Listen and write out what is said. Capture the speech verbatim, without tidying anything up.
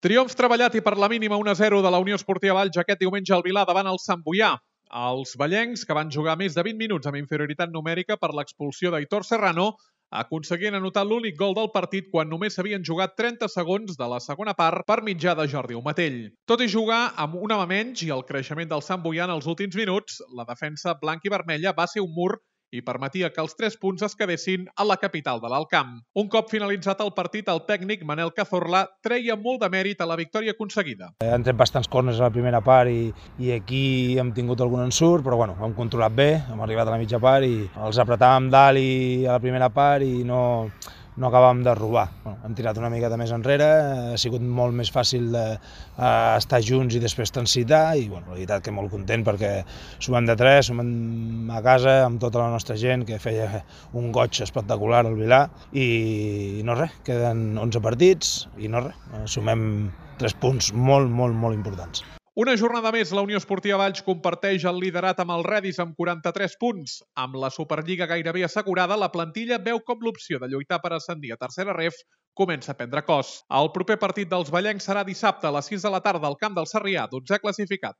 Triomf treballat i per la mínima un a zero de la Unió Esportiva Valls aquest diumenge al Vilar davant el Sant Boià. Els vallencs, que van jugar més de vint minuts amb inferioritat numèrica per l'expulsió d'Aitor Serrano, aconseguien anotar l'únic gol del partit quan només s'havien jugat trenta segons de la segona part per mitjà de Jordi Umatell. Tot i jugar amb un home menys i el creixement del Sant Boià en els últims minuts, la defensa blanc i vermella va ser un mur i permetia que els tres punts es quedessin a la capital de l'Alt Camp. Un cop finalitzat el partit, el tècnic Manel Cazorla treia molt de mèrit a la victòria aconseguida. Han tret bastants corners a la primera part i, i aquí hem tingut algun ensurt, però bueno, hem controlat bé, hem arribat a la mitja part i els apretàvem dalt i a la primera part i no, no acabàvem de robar. Bueno, hem tirat una mica de més enrere, ha sigut molt més fàcil de, uh, estar junts i després transitar i bueno, la veritat que molt content perquè sumem de tres, sumem a casa amb tota la nostra gent que feia un goig espectacular al Vilar i no res, queden onze partits i no res, sumem tres punts molt, molt, molt importants. Una jornada més, la Unió Esportiva Valls comparteix el liderat amb el Redis amb quaranta-tres punts. Amb la Superliga gairebé assegurada, la plantilla veu com l'opció de lluitar per ascendir a tercera ref comença a prendre cos. El proper partit dels vallencs serà dissabte a les sis de la tarda al camp del Sarrià, dotzè classificat.